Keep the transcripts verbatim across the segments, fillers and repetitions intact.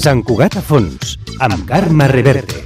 Sant Cugat a fons, amb Carme Reverte.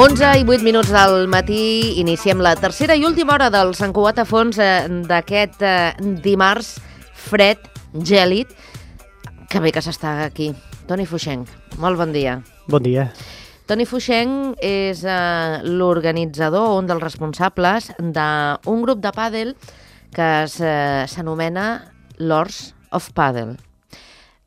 onze i vuit minuts del matí, iniciem la tercera i última hora del Sant Cugat a fons eh, d'aquest eh, dimarts fred, gèlid. Que bé que s'està aquí. Toni Fuixenc, molt bon dia. Bon dia. Toni Fuixenc és eh, l'organitzador, un dels responsables d'un grup de pàdel que s'anomena Lords of Padel.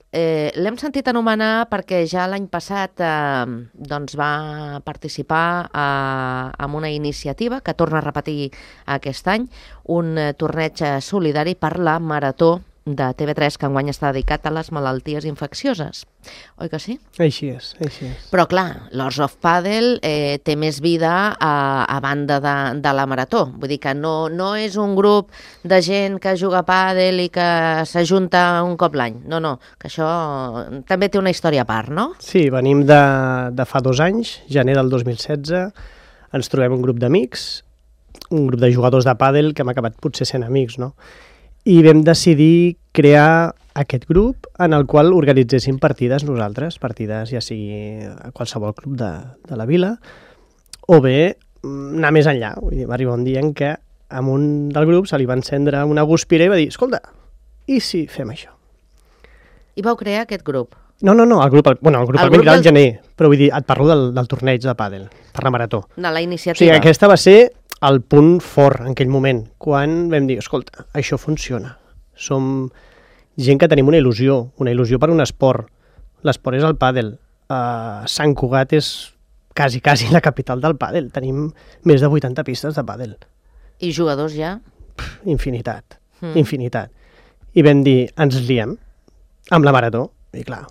Eh, L'hem sentit anomenar perquè ja l'any passat eh, doncs va participar eh, en una iniciativa que torna a repetir aquest any, un eh, torneig solidari per la Marató de T V tres, que enguany està dedicat a les malalties infeccioses. Oi que sí? Així és, així és. Però clar, Lords of Padel eh, té més vida a, a banda de, de la Marató. Vull dir que no, no és un grup de gent que juga a pàdel i que s'ajunta un cop l'any. No, no, que això també té una història a part, no? Sí, venim de, de fa dos anys, gener del dos mil setze, ens trobem un grup d'amics, un grup de jugadors de pàdel que hem acabat potser sent amics, no? I vam decidir crear aquest grup en el qual organitzéssim partides nosaltres, partides ja sigui a qualsevol club de, de la vila, o bé anar més enllà. Vull dir, va arribar un dia en què a un del grup se li va encendre una guspira i va dir, escolta, i si fem això? I vau crear aquest grup? No, no, no, el grup, bueno, el grup el, el vam crear al del... gener, però vull dir, et parlo del, del torneig de pàdel, per la Marató. De la iniciativa. O sigui, aquesta va ser el punt fort en aquell moment, quan vam dir, escolta, això funciona. Som gent que tenim una il·lusió, una il·lusió per un esport. L'esport és el pàdel. Uh, Sant Cugat és quasi, quasi la capital del pàdel. Tenim més de vuitanta pistes de pàdel. I jugadors ja? Pff, infinitat, mm. infinitat. I vam dir, ens liem amb la Marató. I clar,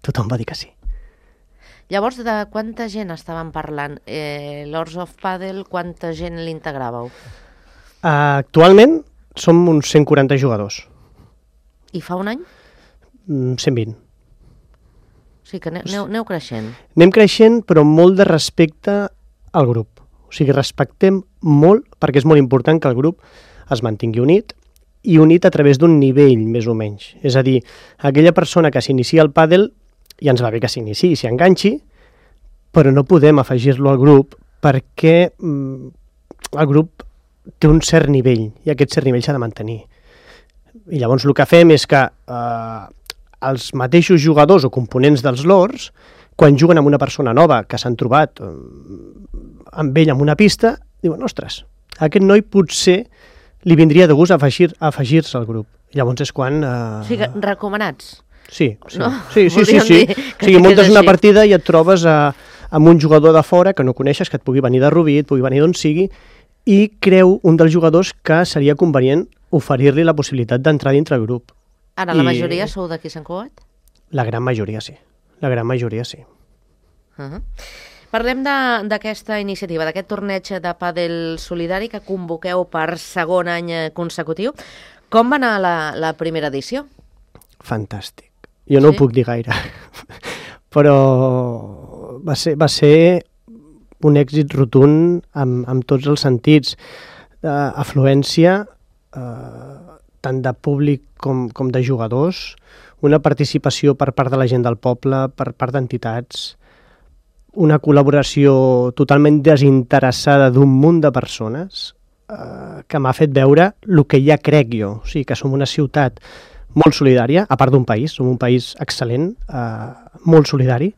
tothom va dir que sí. Llavors, de quanta gent estaven parlant? Eh, Lords of Padel, quanta gent l'integràveu? Uh, actualment som uns cent quaranta jugadors. I fa un any? Mm, cent vint. O sigui que aneu, aneu creixent. Anem creixent, però amb molt de respecte al grup. O sigui, respectem molt, perquè és molt important que el grup es mantingui unit, i unit a través d'un nivell, més o menys. És a dir, aquella persona que s'inicia al pàdel, i ens va bé que s'iniciï, s'hi enganxi, però no podem afegir-lo al grup perquè mm, el grup té un cert nivell i aquest cert nivell s'ha de mantenir. I llavors el que fem és que eh, els mateixos jugadors o components dels Lords, quan juguen amb una persona nova que s'han trobat eh, amb ell en una pista, diuen, ostres, aquest noi potser li vindria de gust afegir, afegir-se al grup. I llavors és quan... Eh... O sigui, recomanats. Sí, sí, no? sí, sí, sí, sí. O sigui, muntes una partida i et trobes a, amb un jugador de fora que no coneixes, que et pugui venir de Rubí, et pugui venir d'on sigui, i creu un dels jugadors que seria convenient oferir-li la possibilitat d'entrar dintre el grup. Ara, la I... majoria sou d'aquí Sant Cugat? La gran majoria, sí. La gran majoria, sí. Uh-huh. Parlem d'aquesta iniciativa, d'aquest torneig de pàdel solidari que convoqueu per segon any consecutiu. Com va anar la, la primera edició? Fantàstic. Jo no sí? ho puc dir gaire, però va ser, va ser un èxit rotund amb, amb tots els sentits. Uh, afluència, uh, tant de públic com, com de jugadors, una participació per part de la gent del poble, per part d'entitats, una col·laboració totalment desinteressada d'un munt de persones uh, que m'ha fet veure el que ja crec jo, o sigui, que som una ciutat molt solidària, a part d'un país, som un país excel·lent, eh, molt solidari,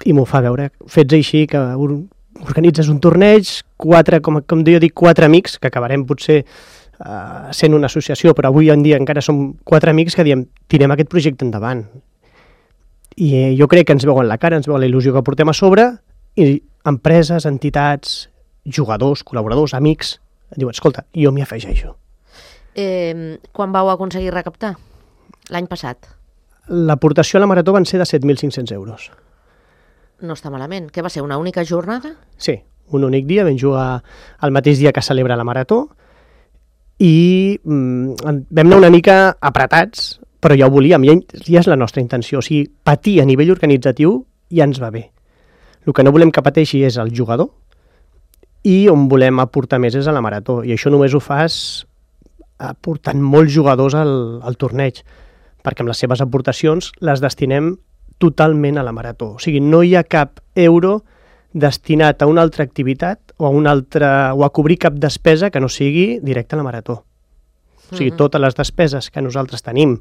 i m'ho fa veure fets així, que organitzes un torneig, quatre, com, com jo dic, quatre amics, que acabarem potser uh, sent una associació, però avui en dia encara som quatre amics que diem, tirem aquest projecte endavant. I eh, jo crec que ens veuen la cara, ens veuen la il·lusió que portem a sobre, i empreses, entitats, jugadors, col·laboradors, amics, diuen, escolta, jo m'hi afegeixo. Eh, quan vau aconseguir recaptar? L'any passat? L'aportació a la Marató van ser de set mil cinc-cents euros. No està malament. Què va ser, una única jornada? Sí, un únic dia, vam jugar el mateix dia que celebra la Marató, i mm, vam anar una mica apretats, però ja ho volíem, ja, ja és la nostra intenció. O sigui, patir a nivell organitzatiu ja ens va bé. El que no volem que pateixi és el jugador, i on volem aportar més és a la Marató, i això només ho fas aportant molts jugadors al, al torneig, perquè amb les seves aportacions les destinem totalment a la Marató. O sigui, no hi ha cap euro destinat a una altra activitat o a, una altra, o a cobrir cap despesa que no sigui directa a la Marató. O sigui, totes les despeses que nosaltres tenim,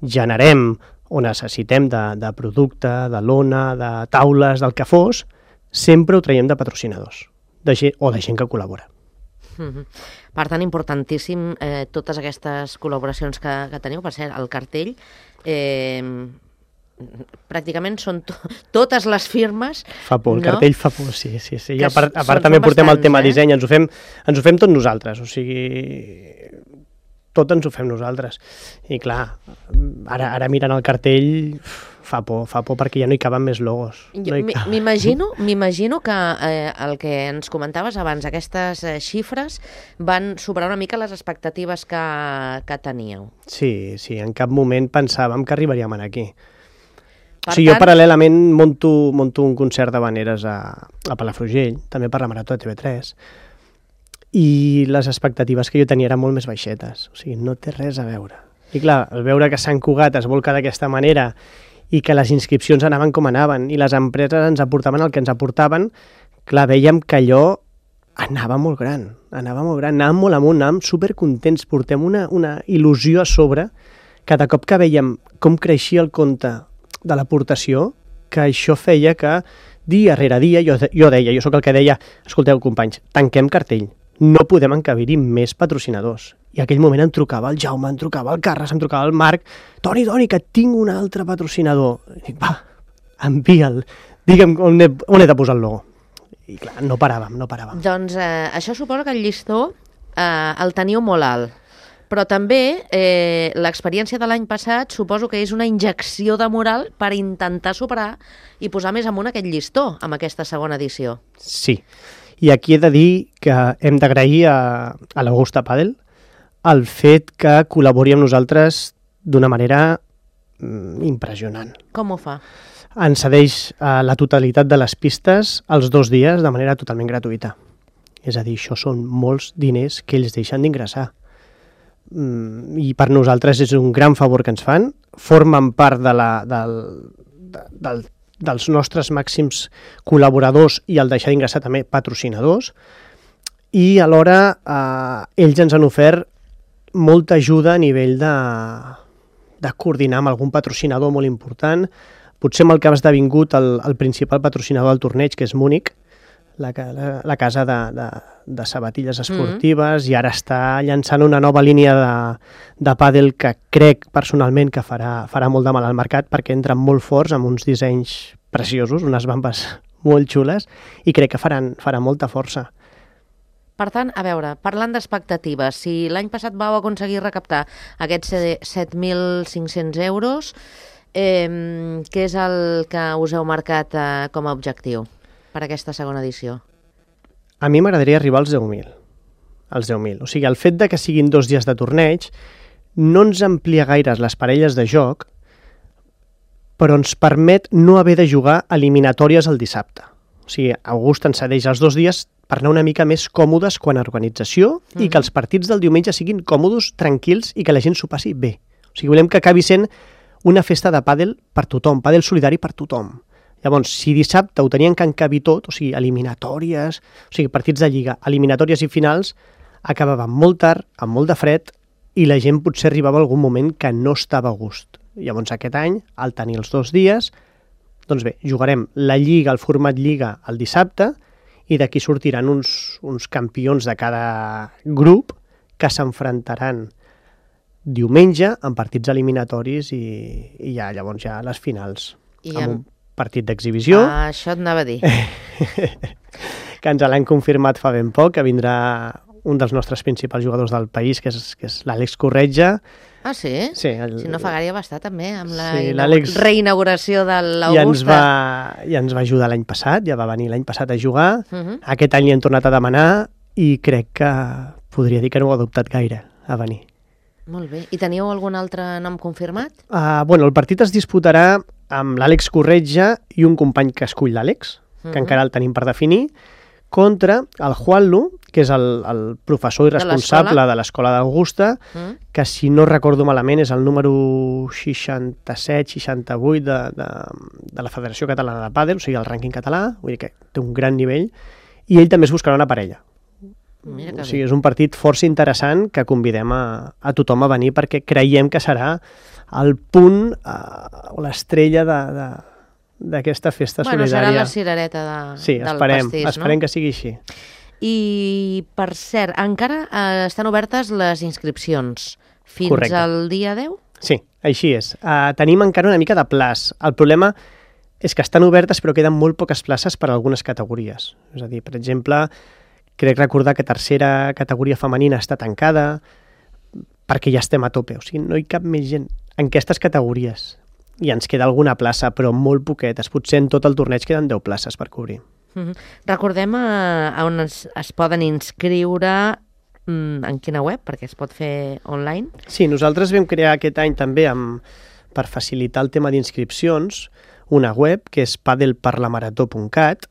generem o necessitem de, de producte, de lona, de taules, del que fos, sempre ho traiem de patrocinadors de gent, o de gent que col·labora. Mm-hmm. Per tant, importantíssim eh, totes aquestes col·laboracions que, que teniu. Per cert, el cartell eh, pràcticament són to totes les firmes. Fa por, el no? cartell fa por, sí, sí, sí. I a part, a són, part també portem bastants, el tema eh? disseny, ens ho, fem, ens ho fem tot nosaltres, o sigui, tot ens ho fem nosaltres. I clar, ara, ara mirant el cartell fa por, fa por perquè ja no hi caben més logos. No M'imagino m'imagino que eh, el que ens comentaves abans, aquestes eh, xifres van superar una mica les expectatives que, que teníeu. Sí, sí, en cap moment pensàvem que arribaríem aquí. Per o sigui, tant... jo paral·lelament monto, monto un concert d'habaneres a, a Palafrugell, també per la Marató de T V tres, i les expectatives que jo tenia eren molt més baixetes, o sigui, no té res a veure. I clar, al veure que Sant Cugat es volca d'aquesta manera i que les inscripcions anaven com anaven i les empreses ens aportaven el que ens aportaven, clar, veiem que allò anava molt gran, anava molt gran, anàvem molt amunt, anàvem supercontents, portem una, una il·lusió a sobre, cada cop que veiem com creixia el compte de l'aportació, que això feia que dia rere dia, jo, jo deia, jo sóc el que deia, escolteu companys, tanquem cartell, no podem encabir-hi més patrocinadors. I en aquell moment em trucava el Jaume, em trucava el Carles, em trucava el Marc, Toni, Toni, que tinc un altre patrocinador. I dic, va, envia'l, digue'm on he, on he de posar el logo. I clar, no paràvem, no paràvem. Doncs eh, això suposa que el llistó eh, el teniu molt alt. Però també eh, l'experiència de l'any passat suposo que és una injecció de moral per intentar superar i posar més amunt aquest llistó amb aquesta segona edició. Sí, i aquí he de dir que hem d'agrair a, a l'Augusta Padel el fet que col·labori amb nosaltres d'una manera mm, impressionant. Com ho fa? Ens cedeix a la totalitat de les pistes els dos dies de manera totalment gratuïta. És a dir, això són molts diners que ells deixen d'ingressar. Mm, I per nosaltres és un gran favor que ens fan. Formen part de la, del, de, del, dels nostres màxims col·laboradors i al deixar d'ingressar també patrocinadors. I alhora eh, ells ens han ofert molta ajuda a nivell de, de coordinar amb algun patrocinador molt important. Potser amb el que ha esdevingut el, el principal patrocinador del torneig, que és Múnich, la, la, la casa de, de, de sabatilles esportives, mm-hmm. i ara està llançant una nova línia de, de pàdel que crec personalment que farà, farà molt de mal al mercat, perquè entren molt forts amb uns dissenys preciosos, unes bambes molt xules, i crec que faran, faran molta força. Per tant, a veure, parlant d'expectatives, si l'any passat vau aconseguir recaptar aquests set mil cinc-cents euros, eh, què és el que us heu marcat eh, com a objectiu per aquesta segona edició? A mi m'agradaria arribar als deu mil. Als deu mil. O sigui, el fet de que siguin dos dies de torneig no ens amplia gaire les parelles de joc, però ens permet no haver de jugar eliminatòries el dissabte. O sigui, August ens cedeix els dos dies per anar una mica més còmodes quan a organització mm-hmm. i que els partits del diumenge siguin còmodes, tranquils i que la gent s'ho passi bé. O sigui, volem que acabi sent una festa de pàdel per tothom, pàdel solidari per tothom. Llavors, si dissabte ho tenien que encabir tot, o sigui, eliminatòries, o sigui, partits de lliga, eliminatòries i finals, acabaven molt tard, amb molt de fred, i la gent potser arribava a algun moment que no estava a gust. Llavors, aquest any, al tenir els dos dies, doncs bé, jugarem la lliga, el format lliga, el dissabte, i d'aquí sortiran uns, uns campions de cada grup que s'enfrontaran diumenge en partits eliminatoris i, i ja llavors ja les finals. I amb en... un partit d'exhibició. Ah, això et anava a dir. Que ens l'han confirmat fa ben poc, que vindrà un dels nostres principals jugadors del país, que és, que és l'Àlex Corretja. Ah, sí? Sí. El, si no fa gaire va estar també amb la sí, inaugura... reinauguració de l'Augusta. I ens va, i ens va ajudar l'any passat, ja va venir l'any passat a jugar. Uh -huh. Aquest any li hem tornat a demanar i crec que podria dir que no ho ha adoptat gaire a venir. Molt bé. I teniu algun altre nom confirmat? Uh, bueno, el partit es disputarà amb l'Àlex Corretja i un company que escull l'Àlex, que uh -huh. encara el tenim per definir, contra el Juanlu, que és el, el professor i responsable de l'Escola d'Augusta, mm. que si no recordo malament és el número seixanta-set seixanta-vuit de, de, de la Federació Catalana de Pàdel, o sigui, el rànquing català, vull dir que té un gran nivell, i ell també es buscarà una parella. Mira que o sigui, és un partit força interessant que convidem a, a tothom a venir perquè creiem que serà el punt uh, o l'estrella de... de d'aquesta festa bueno, solidària. Serà la cirereta de, sí, del esperem, pastís, esperem no? que sigui així. I, per cert, encara eh, estan obertes les inscripcions fins Correcte. al dia deu? Sí, així és. Uh, tenim encara una mica de plaç. El problema és que estan obertes però queden molt poques places per a algunes categories. És a dir, per exemple, crec recordar que tercera categoria femenina està tancada perquè ja estem a tope. O sigui, no hi cap més gent en aquestes categories. I ens queda alguna plaça, però molt poquetes. Potser en tot el torneig queden deu places per cobrir. Mm-hmm. Recordem a, a on es, es poden inscriure, mm, en quina web, perquè es pot fer online? Sí, nosaltres vam crear aquest any també, amb, per facilitar el tema d'inscripcions, una web que és padelparlamarató punt cat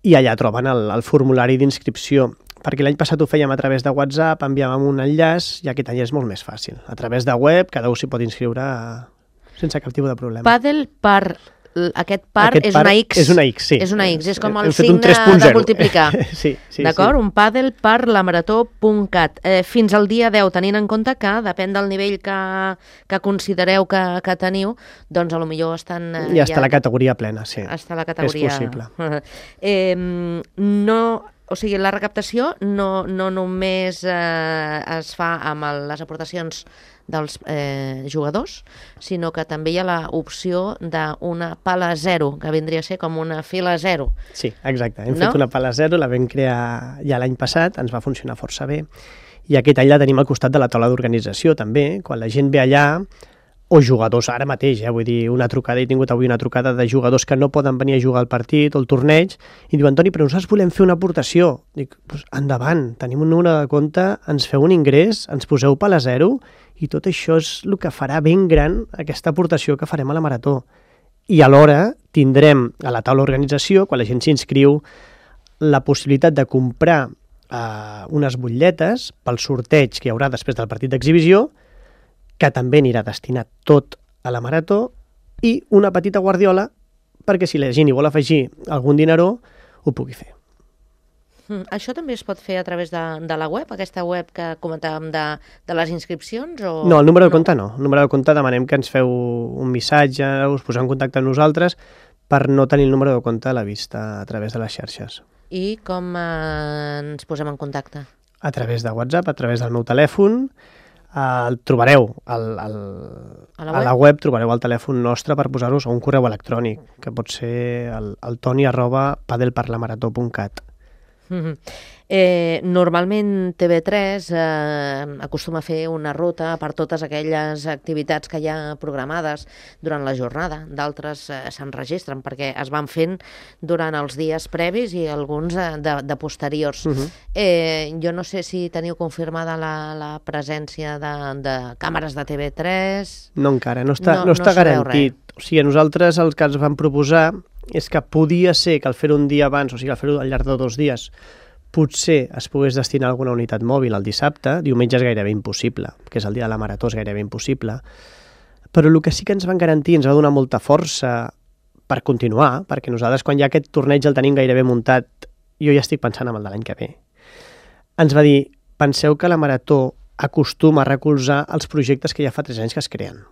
i allà troben el, el formulari d'inscripció. Perquè l'any passat ho fèiem a través de WhatsApp, enviàvem un enllaç i aquest any és molt més fàcil. A través de web, cada un s'hi pot inscriure a... sense cap tipus de problema. Padel par... Aquest par Aquest és par una X. És una X, sí. És una X, és com el Hem signe de multiplicar. sí, sí, D'acord? sí. Un padel per la marató punt cat. Eh, fins al dia deu, tenint en compte que, depèn del nivell que, que considereu que, que teniu, doncs a lo millor estan... Eh, ja està ja, la categoria plena, sí. Està la categoria... És possible. eh, no... O sigui, la recaptació no, no només eh, es fa amb el, les aportacions dels eh, jugadors, sinó que també hi ha l'opció d'una pala zero, que vindria a ser com una fila zero. Sí, exacte. Hem no? fet una pala zero, la vam crear ja l'any passat, ens va funcionar força bé, i aquest any la tenim al costat de la taula d'organització també, quan la gent ve allà, o jugadors ara mateix, eh? Vull dir, una trucada, he tingut avui una trucada de jugadors que no poden venir a jugar al partit o al torneig, i diu, Antoni, però nosaltres volem fer una aportació. Dic, pues, endavant, tenim un número de compte, ens feu un ingrés, ens poseu pala zero, i tot això és el que farà ben gran aquesta aportació que farem a la marató. I alhora tindrem a la taula d'organització, quan la gent s'inscriu, la possibilitat de comprar eh, unes butlletes pel sorteig que hi haurà després del partit d'exhibició, que també anirà destinat tot a la marató, i una petita guardiola perquè si la gent hi vol afegir algun dineró, ho pugui fer. Mm, això també es pot fer a través de, de la web, aquesta web que comentàvem de, de les inscripcions? O... No, el número de compte no. El número de compte demanem que ens feu un missatge, us poseu en contacte amb nosaltres per no tenir el número de compte a la vista a través de les xarxes. I com eh, ens posem en contacte? A través de WhatsApp, a través del meu telèfon. El trobareu al, al, a, la a la web, trobareu el telèfon nostre per posar-vos a un correu electrònic, que pot ser el, el toni arroba padelparlamarató punt cat. Mm-hmm. eh, normalment T V tres eh, acostuma a fer una ruta per totes aquelles activitats que hi ha programades durant la jornada. D'altres eh, s'enregistren perquè es van fent durant els dies previs i alguns eh, de, de posteriors. Uh-huh. eh, jo no sé si teniu confirmada la, la presència de, de càmeres de T V tres. No encara, no està, no, no, no està no garantit. O sigui, a nosaltres el que ens van proposar és que podia ser que al fer un dia abans, o sigui, al fer-ho al llarg de dos dies, potser es pogués destinar alguna unitat mòbil el dissabte, diumenge és gairebé impossible, que és el dia de la marató, és gairebé impossible, però el que sí que ens van garantir, ens va donar molta força per continuar, perquè nosaltres quan ja aquest torneig el tenim gairebé muntat, jo ja estic pensant en el de l'any que ve, ens va dir, penseu que la marató acostuma a recolzar els projectes que ja fa tres anys que es creen.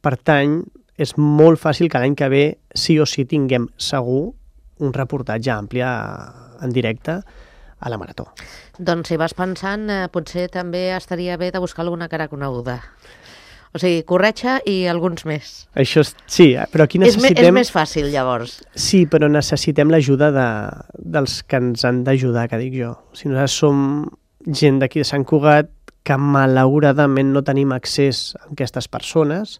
Per tant, és molt fàcil que l'any que ve sí o sí tinguem segur un reportatge ampli en directe a la marató. Doncs si vas pensant, eh, potser també estaria bé de buscar alguna cara coneguda. O sigui, Corretja i alguns més. Això és, sí, però aquí necessitem... És, me, és més fàcil, llavors. Sí, però necessitem l'ajuda de, dels que ens han d'ajudar, que dic jo. O sigui, nosaltres som gent d'aquí de Sant Cugat que malauradament no tenim accés a aquestes persones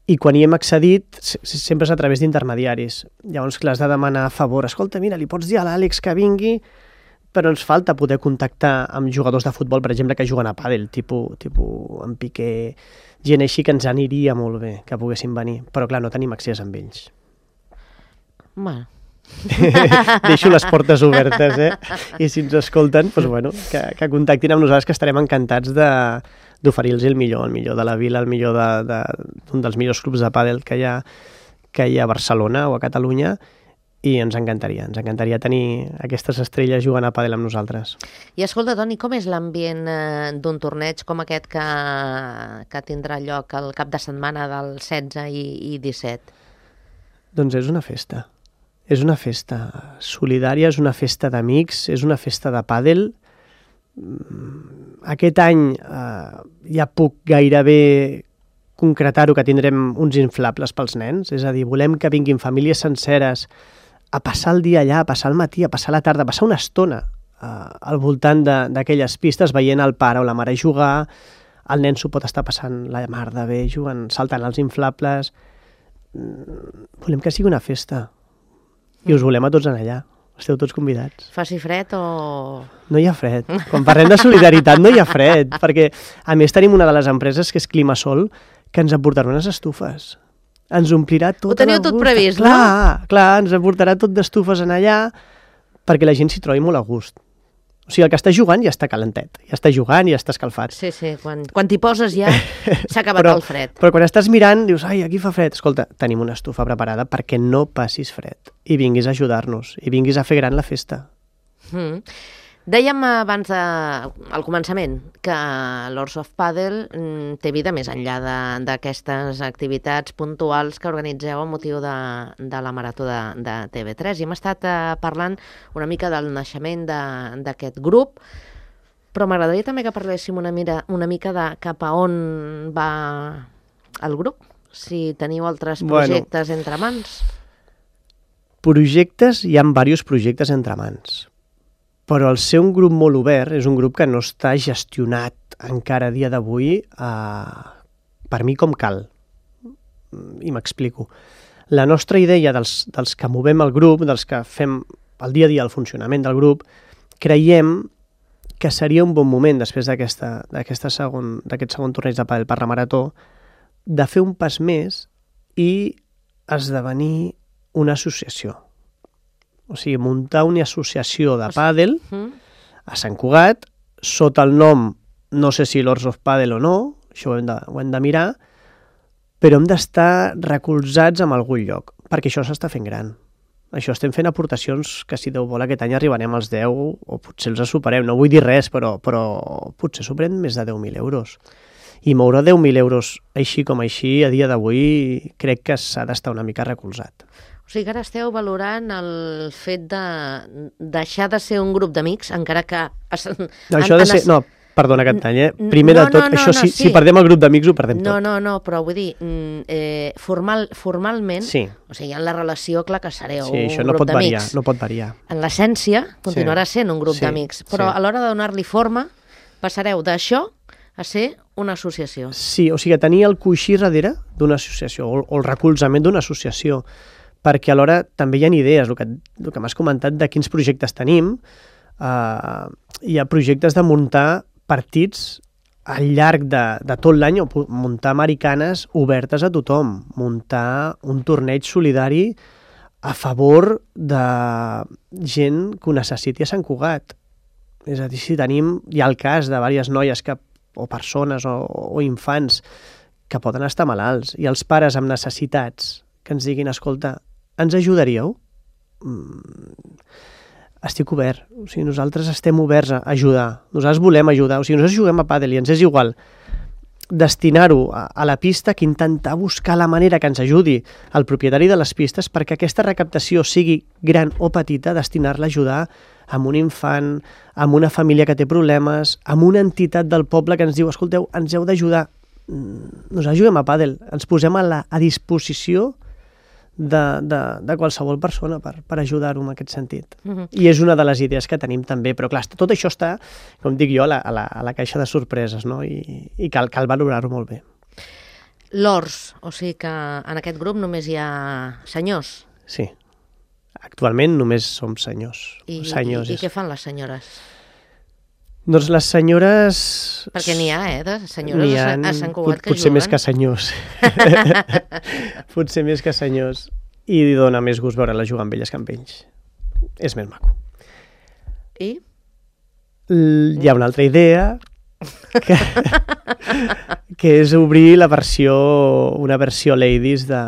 i quan hi hem accedit sempre és a través d'intermediaris. Llavors, clar, has de demanar a favor. Escolta, mira, li pots dir a l'Àlex que vingui, però ens falta poder contactar amb jugadors de futbol, per exemple, que juguen a pàdel, tipus, tipus en Piqué, gent així que ens aniria molt bé que poguessin venir, però clar, no tenim accés amb ells. Bueno. Deixo les portes obertes, eh? I si ens escolten, doncs, bueno, que, que contactin amb nosaltres, que estarem encantats de, d'oferir-los el millor, el millor de la vila, el millor d'un de, de, dels millors clubs de pàdel que hi ha, que hi ha a Barcelona o a Catalunya, i ens encantaria, ens encantaria tenir aquestes estrelles jugant a pàdel amb nosaltres. I escolta, Toni, com és l'ambient eh, d'un torneig com aquest que, que tindrà lloc el cap de setmana del setze i, i disset? Doncs és una festa. És una festa solidària, és una festa d'amics, és una festa de pàdel. Aquest any eh, ja puc gairebé concretar-ho, que tindrem uns inflables pels nens, és a dir, volem que vinguin famílies senceres a passar el dia allà, a passar el matí, a passar la tarda, a passar una estona eh, al voltant d'aquelles pistes, veient el pare o la mare jugar, el nen s'ho pot estar passant la mar de bé, jugant, saltant els inflables. Volem que sigui una festa. I us volem a tots en allà. Esteu tots convidats. Faci fred o... No hi ha fred. Quan parlem de solidaritat no hi ha fred, perquè a més tenim una de les empreses que és Climasol, que ens aportarà unes estufes. Ens omplirà tot. Ho teniu tot previst, no? Clar, clar, ens aportarà tot d'estufes en allà perquè la gent s'hi trobi molt a gust. O sigui, el que està jugant ja està calentet, ja està jugant i ja està escalfat. Sí, sí, quan, quan t'hi poses ja s'ha acabat però, el fred. Però quan estàs mirant dius, ai, aquí fa fred. Escolta, tenim una estufa preparada perquè no passis fred i vinguis a ajudar-nos i vinguis a fer gran la festa. Mm. Dèiem abans de, al començament que l'Horse of Paddle mm, té vida més enllà d'aquestes activitats puntuals que organitzeu amb motiu de, de la marató de, de T V tres. I hem estat eh, parlant una mica del naixement d'aquest grup, però m'agradaria també que parléssim una, mira, una mica de cap a on va el grup, si teniu altres projectes bueno, entre mans. Projectes, hi ha diversos projectes entre mans. Però el ser un grup molt obert és un grup que no està gestionat encara a dia d'avui eh, per mi com cal. I m'explico. La nostra idea dels, dels que movem el grup, dels que fem el dia a dia el funcionament del grup, creiem que seria un bon moment després d'aquest segon, segon torneig de pàdel per la marató de fer un pas més i esdevenir una associació. O sigui, muntar una associació de pàdel a Sant Cugat, sota el nom, no sé si l'Horse of Paddle o no, això ho hem de, ho hem de mirar, però hem d'estar recolzats en algun lloc, perquè això s'està fent gran. Això estem fent aportacions que, si Déu vol, aquest any arribarem als deu, o potser els superem, no vull dir res, però, però potser superem més de deu mil euros. I moure deu mil euros així com així, a dia d'avui, crec que s'ha d'estar una mica recolzat. O sigui que ara esteu valorant el fet de deixar de ser un grup d'amics, encara que... No, això de ser... No, perdona que et talli, eh? Primer no, de tot, no, no, això, no, si, sí. si perdem el grup d'amics, ho perdem no, tot. No, no, però vull dir, eh, formal, formalment, sí. O sigui, en la relació, clar que sereu sí, un no grup d'amics. Sí, no pot variar. En l'essència, continuarà sí. sent un grup sí. d'amics, però sí. a l'hora de donar-li forma, passareu d'això a ser una associació. Sí, o sigui, tenir el coixí darrere d'una associació, o, o el recolzament d'una associació, perquè alhora també hi ha idees, el que, el que m'has comentat de quins projectes tenim, eh, hi ha projectes de muntar partits al llarg de, de tot l'any, o muntar americanes obertes a tothom, muntar un torneig solidari a favor de gent que ho necessiti a Sant Cugat. És a dir, si tenim, hi ha el cas de diverses noies que, o persones o, o infants que poden estar malalts, i els pares amb necessitats que ens diguin, escolta, ens ajudaríeu? Mm, estic obert. O sigui, nosaltres estem oberts a ajudar. Nosaltres volem ajudar. O sigui, nosaltres juguem a pàdel i ens és igual destinar-ho a, a la pista que intentar buscar la manera que ens ajudi el propietari de les pistes perquè aquesta recaptació sigui gran o petita, destinar-la a ajudar amb un infant, amb una família que té problemes, amb una entitat del poble que ens diu, escolteu, ens heu d'ajudar, nosaltres juguem a pàdel, ens posem a, la, a disposició de, de, de qualsevol persona per, per ajudar-ho en aquest sentit. Uh-huh. I és una de les idees que tenim també, però clar, tot això està, com dic jo, a la, a la, a la caixa de sorpreses, no? I, i cal, cal valorar-ho molt bé. Lors, o sigui que en aquest grup només hi ha senyors. Sí, actualment només som senyors. I, senyors i, i què fan les senyores? Doncs les senyores... Perquè n'hi ha, eh, de senyores ha, a Sant Cugat que potser juguen. Més que senyors. Potser més que senyors. I dona més gust veure-la jugar amb elles que amb ells. És més maco. I? L hi ha una altra idea que, que és obrir la versió, una versió ladies de,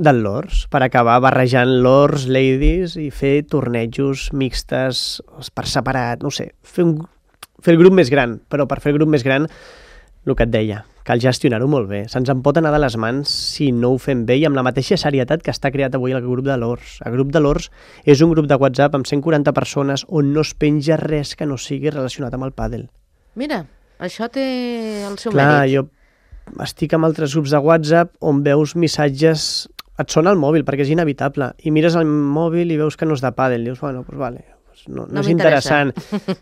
del Lors, per acabar barrejant Lors, ladies i fer tornejos mixtes per separat, no sé, fer un fer el grup més gran, però per fer el grup més gran, el que et deia, cal gestionar-ho molt bé. Se'ns en pot anar de les mans si no ho fem bé i amb la mateixa serietat que està creat avui el grup de Lors. El grup de Lors és un grup de WhatsApp amb cent quaranta persones on no es penja res que no sigui relacionat amb el pàdel. Mira, això té el seu Clar, mèrit. jo estic amb altres grups de WhatsApp on veus missatges, et sona el mòbil perquè és inevitable, i mires el mòbil i veus que no és de pàdel, dius, bueno, doncs vale, no, no, no és interessant.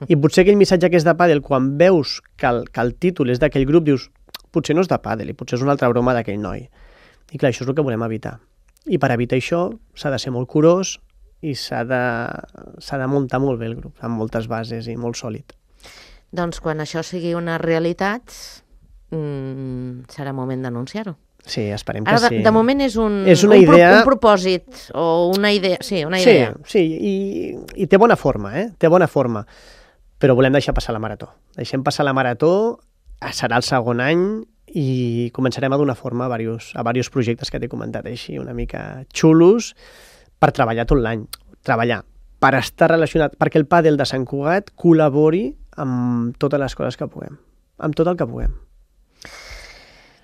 I potser aquell missatge que és de pàdel, quan veus que el, que el títol és d'aquell grup, dius, potser no és de pàdel, i potser és una altra broma d'aquell noi. I clar, això és el que volem evitar. I per evitar això s'ha de ser molt curós i s'ha de, s'ha de muntar molt bé el grup, amb moltes bases i molt sòlid. Doncs quan això sigui una realitat, mmm, serà moment d'anunciar-ho. Sí, esperem Ara, que de, sí. de moment és un, és una un, idea... pro, un propòsit o una idea. Sí, una idea. Sí, sí, i, i té bona forma, eh? Té bona forma. Però volem deixar passar la marató. Deixem passar la marató, serà el segon any i començarem a donar forma a diversos, a diversos projectes que t'he comentat així, una mica xulos, per treballar tot l'any. Treballar, per estar relacionat, perquè el pàdel de Sant Cugat col·labori amb totes les coses que puguem, amb tot el que puguem.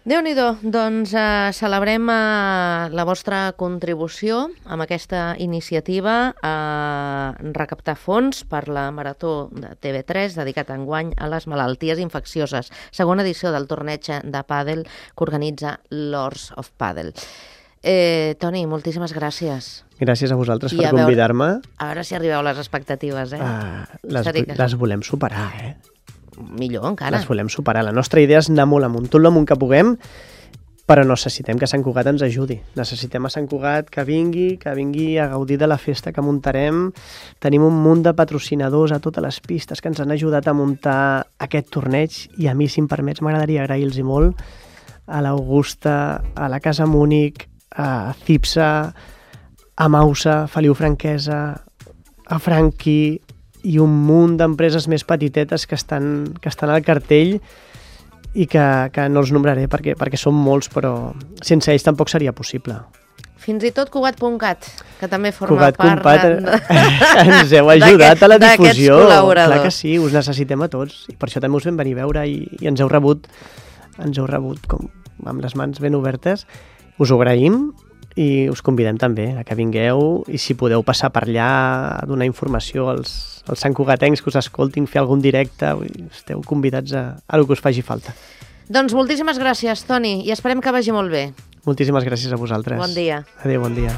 Déu-n'hi-do, doncs eh, celebrem eh, la vostra contribució amb aquesta iniciativa a recaptar fons per la Marató de T V tres dedicat enguany a les malalties infeccioses, segona edició del torneig de pàdel que organitza Lords of Padel. Eh, Toni, moltíssimes gràcies. Gràcies a vosaltres I per a veure, convidar-me. A veure si arribeu a les expectatives, eh? Ah, les, Seria que- les volem superar, eh? Millor encara. Les volem superar. La nostra idea és anar molt amunt, tot l'amunt que puguem, però necessitem que Sant Cugat ens ajudi. Necessitem a Sant Cugat que vingui, que vingui a gaudir de la festa que muntarem. Tenim un munt de patrocinadors a totes les pistes que ens han ajudat a muntar aquest torneig i a mi, si em permets, m'agradaria agrair-los molt a l'Augusta, a la Casa Múnich, a Cipsa, a Mausa, Feliu Franquesa, a Franqui i un munt d'empreses més petitetes que estan, que estan al cartell i que, que no els nombraré perquè, perquè són molts, però sense ells tampoc seria possible. Fins i tot Cugat punt cat, que també forma Cugat part Compat, de... ens heu ajudat a la difusió. col·laboradors. Clar que sí, us necessitem a tots i per això també us vam venir a veure i, i ens heu rebut ens heu rebut com, amb les mans ben obertes. Us ho agraïm i us convidem també a que vingueu i si podeu passar per allà a donar informació als, als santcugatencs que us escoltin, fer algun directe, esteu convidats a, a el que us faci falta. Doncs moltíssimes gràcies, Toni, i esperem que vagi molt bé. Moltíssimes gràcies a vosaltres. Bon dia. Adéu, bon dia.